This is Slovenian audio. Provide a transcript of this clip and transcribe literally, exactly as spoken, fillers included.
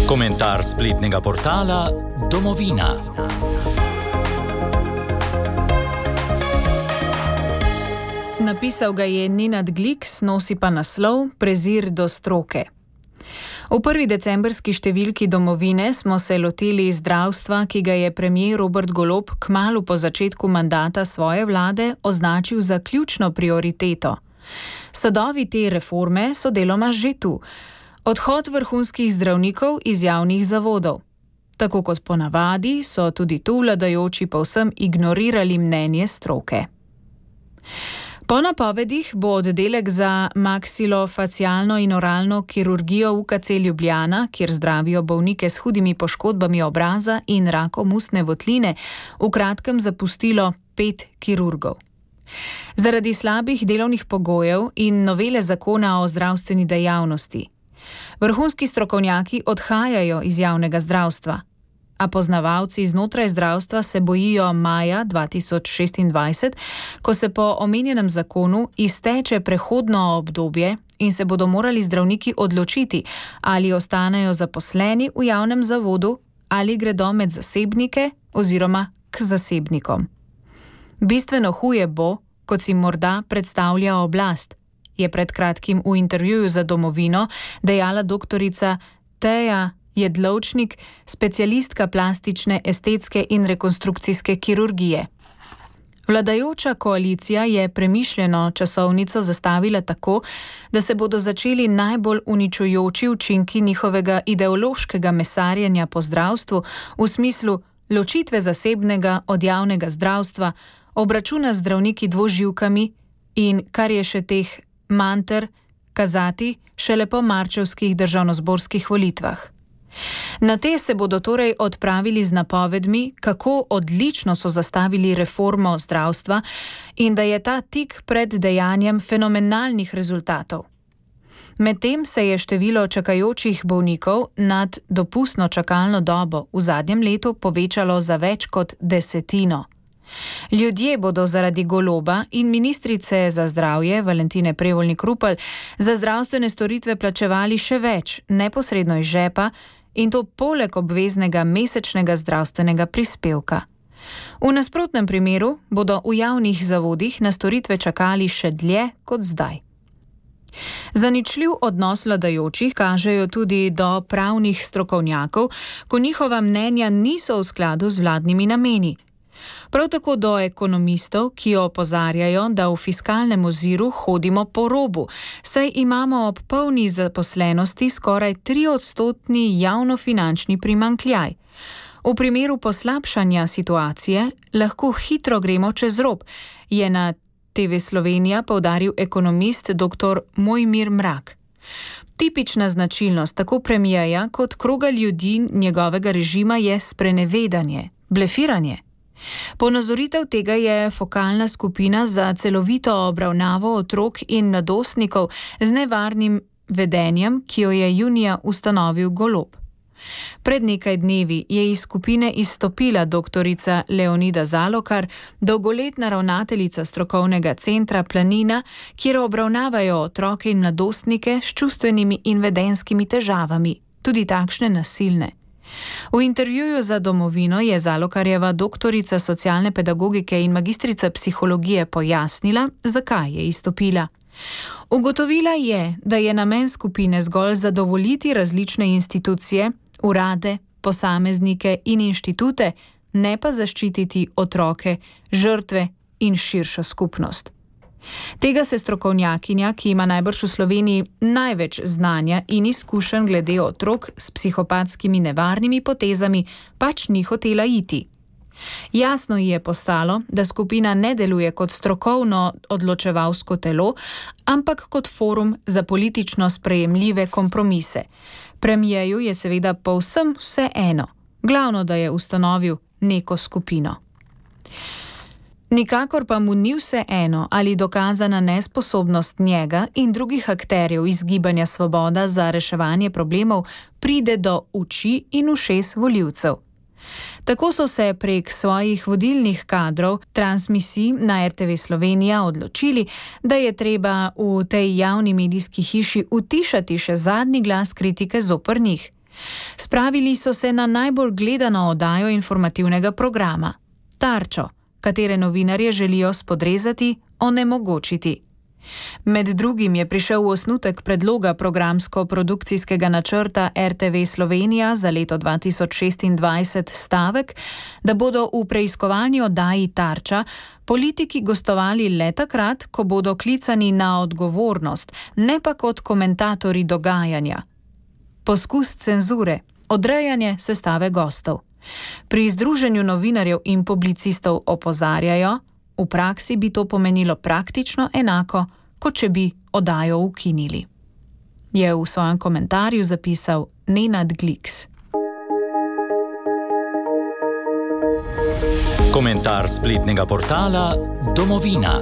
Komentar spletnega portala Domovina. Napisal ga je Nenad Gliks, nosi pa naslov Prezir do stroke. V prvi decembrski številki Domovine smo se lotili zdravstva, ki ga je premier Robert Golob kmalu po začetku mandata svoje vlade označil za ključno prioriteto. Sadovi te reforme so deloma že tu. Odhod vrhunskih zdravnikov iz javnih zavodov. Tako kot ponavadi so tudi tu vladajoči povsem ignorirali mnenje stroke. Po napovedih bo oddelek za maksilofacialno in oralno kirurgijo U K C Ljubljana, kjer zdravijo bolnike s hudimi poškodbami obraza in rakom ustne votline, v kratkem zapustilo pet kirurgov. Zaradi slabih delovnih pogojev in novele zakona o zdravstveni dejavnosti. Vrhunski strokovnjaki odhajajo iz javnega zdravstva, a poznavalci znotraj zdravstva se bojijo maja dva tisoč šestindvajset, ko se po omenjenem zakonu izteče prehodno obdobje in se bodo morali zdravniki odločiti, ali ostanejo zaposleni v javnem zavodu ali gredo med zasebnike oziroma k zasebnikom. Bistveno huje bo, kot si morda predstavlja oblast, je pred kratkim v intervjuju za Domovino dejala doktorica Teja Jedlovčnik, specialistka plastične, estetske in rekonstrukcijske kirurgije. Vladajoča koalicija je premišljeno časovnico zastavila tako, da se bodo začeli najbolj uničujoči učinki njihovega ideološkega mesarjenja po zdravstvu v smislu ločitve zasebnega od javnega zdravstva, obračuna z zdravniki dvoživkami in, kar je še teh manter, kazati šele po marčevskih državnozborskih volitvah. Na te se bodo torej odpravili z napovedmi, kako odlično so zastavili reformo zdravstva in da je ta tik pred dejanjem fenomenalnih rezultatov. Medtem se je število čakajočih bolnikov nad dopustno čakalno dobo v zadnjem letu povečalo za več kot desetino. Ljudje bodo zaradi Goloba in ministrice za zdravje Valentine Prevolnik Rupel za zdravstvene storitve plačevali še več, neposredno iz žepa, in to poleg obveznega mesečnega zdravstvenega prispevka. V nasprotnem primeru bodo v javnih zavodih na storitve čakali še dlje kot zdaj. Zaničljiv odnos vladajočih kažejo tudi do pravnih strokovnjakov, ko njihova mnenja niso v skladu z vladnimi nameni. Prav tako do ekonomistov, ki opozarjajo, da v fiskalnem oziru hodimo po robu, saj imamo ob polni zaposlenosti skoraj triodstotni javnofinančni primanjkljaj. V primeru poslabšanja situacije lahko hitro gremo čez rob, je na T V Slovenija poudaril ekonomist doktor Mojmir Mrak. Tipična značilnost tako premierja kot kroga ljudi njegovega režima je sprenevedanje, blefiranje. Ponazoritev tega je fokalna skupina za celovito obravnavo otrok in mladostnikov z nevarnim vedenjem, ki jo je junija ustanovil Golob. Pred nekaj dnevi je iz skupine izstopila doktorica Leonida Zalokar, dolgoletna ravnateljica strokovnega centra Planina, kjer obravnavajo otroke in mladostnike s čustvenimi in vedenskimi težavami, tudi takšne nasilne. V intervjuju za Domovino je Zalokarjeva doktorica socialne pedagogike in magistrica psihologije pojasnila, zakaj je izstopila. Ugotovila je, da je namen skupine zgolj zadovoljiti različne institucije, urade, posameznike in inštitute, ne pa zaščititi otroke, žrtve in širšo skupnost. Tega se strokovnjakinja, ki ima najbrž v Sloveniji največ znanja in izkušenj glede otrok s psihopatskimi nevarnimi potezami, pač ni hotela iti. Jasno ji je postalo, da skupina ne deluje kot strokovno odločevalsko telo, ampak kot forum za politično sprejemljive kompromise. Premierju je seveda povsem vseeno, glavno, da je ustanovil neko skupino. Nikakor pa mu ni vseeno, ali dokazana nesposobnost njega in drugih akterjev iz Gibanja Svoboda za reševanje problemov pride do oči in ušes volivcev. Tako so se prek svojih vodilnih kadrov transmisij na R T V Slovenija odločili, da je treba v tej javni medijski hiši utišati še zadnji glas kritike zoper njih. Spravili so se na najbolj gledano oddajo informativnega programa, Tarčo, katere novinarje želijo spodrezati, onemogočiti. Med drugim je prišel osnutek predloga programsko-produkcijskega načrta R T V Slovenija za leto dva tisoč šestindvajset stavek, da bodo v preiskovalni oddaji Tarča politiki gostovali le takrat, ko bodo klicani na odgovornost, ne pa kot komentatorji dogajanja. Poskus cenzure, odrejanje sestave gostov. Pri Združenju novinarjev in publicistov opozarjajo, v praksi bi to pomenilo praktično enako, kot če bi oddajo ukinili. Je v svojem komentarju zapisal Nenad Gliks. Komentar spletnega portala Domovina.